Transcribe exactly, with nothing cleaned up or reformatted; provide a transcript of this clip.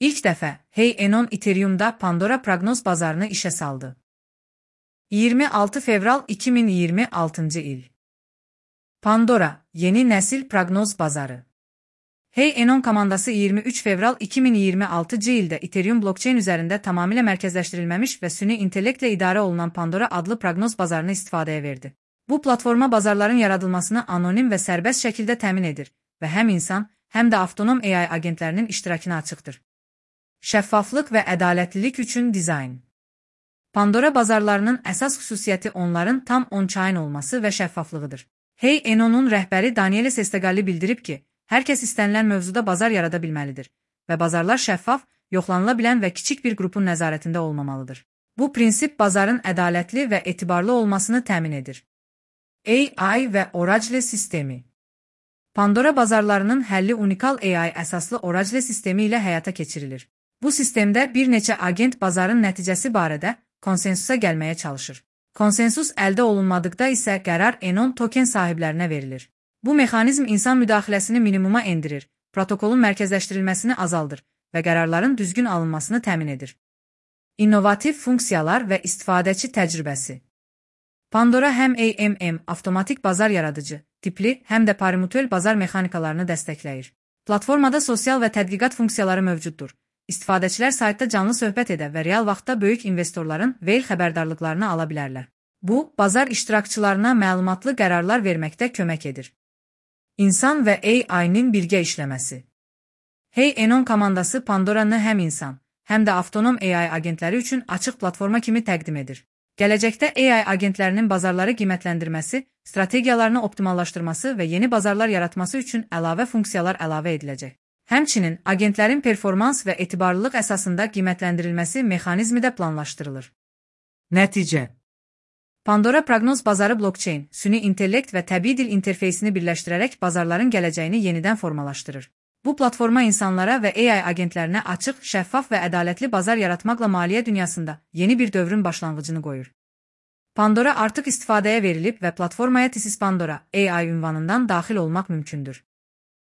İlk dəfə Hey Enon Ethereum'da Pandora proqnoz bazarını işə saldı. iyirmi altı fevral iki min iyirmi altıncı il. Pandora, yeni nəsil proqnoz bazarı. Hey Enon komandası iyirmi üç fevral iki min iyirmi altıncı ildə Ethereum blockchain üzərində tamamilə mərkəzləşdirilməmiş və süni intellektlə idarə olunan Pandora adlı proqnoz bazarını istifadəyə verdi. Bu platforma bazarların yaradılmasını anonim və sərbəst şəkildə təmin edir və həm insan, həm də avtonom A I agentlərinin iştirakına açıqdır. Şəffaflıq və ədalətlilik üçün dizayn. Pandora bazarlarının əsas xüsusiyyəti onların tam on-chain olması və şəffaflığıdır. Hey Enon'un rəhbəri Danielis Estegalli bildirib ki, hər kəs istənilən mövzuda bazar yarada bilməlidir və bazarlar şəffaf, yoxlanıla bilən və kiçik bir qrupun nəzarətində olmamalıdır. Bu prinsip bazarın ədalətli və etibarlı olmasını təmin edir. A I və Oracle sistemi. Pandora bazarlarının həlli unikal A I əsaslı Oracle sistemi ilə həyata keçirilir. Bu sistemdə bir neçə agent bazarın nəticəsi barədə konsensusa gəlməyə çalışır. Konsensus əldə olunmadıqda isə qərar Enon token sahiblərinə verilir. Bu mexanizm insan müdaxiləsini minimuma endirir, protokolun mərkəzləşdirilməsini azaldır və qərarların düzgün alınmasını təmin edir. İnnovativ funksiyalar və istifadəçi təcrübəsi. Pandora həm A M M, avtomatik bazar yaradıcı, tipli, həm də parimütüel bazar mexanikalarını dəstəkləyir. Platformada sosial və tədqiqat funksiyaları mövcuddur. İstifadəçilər saytda canlı söhbət edə və real vaxtda böyük investorların Whale xəbərdarlıqlarını ala bilərlər. Bu, bazar iştirakçılarına məlumatlı qərarlar verməkdə kömək edir. İnsan və A I-nin birgə işləməsi. Hey Enon komandası Pandora'nı həm insan, həm də avtonom A I agentləri üçün açıq platforma kimi təqdim edir. Gələcəkdə A I agentlərinin bazarları qiymətləndirməsi, strategiyalarını optimallaşdırması və yeni bazarlar yaratması üçün əlavə funksiyalar əlavə ediləcək. Həmçinin, agentlərin performans və etibarlılıq əsasında qiymətləndirilməsi mexanizmi də planlaşdırılır. Nəticə. Pandora proqnoz bazarı blockchain, süni intellekt və təbii dil interfeysini birləşdirərək bazarların gələcəyini yenidən formalaşdırır. Bu platforma insanlara və A I agentlərinə açıq, şəffaf və ədalətli bazar yaratmaqla maliyyə dünyasında yeni bir dövrün başlanğıcını qoyur. Pandora artıq istifadəyə verilib və platformaya This is Pandora A I ünvanından daxil olmaq mümkündür.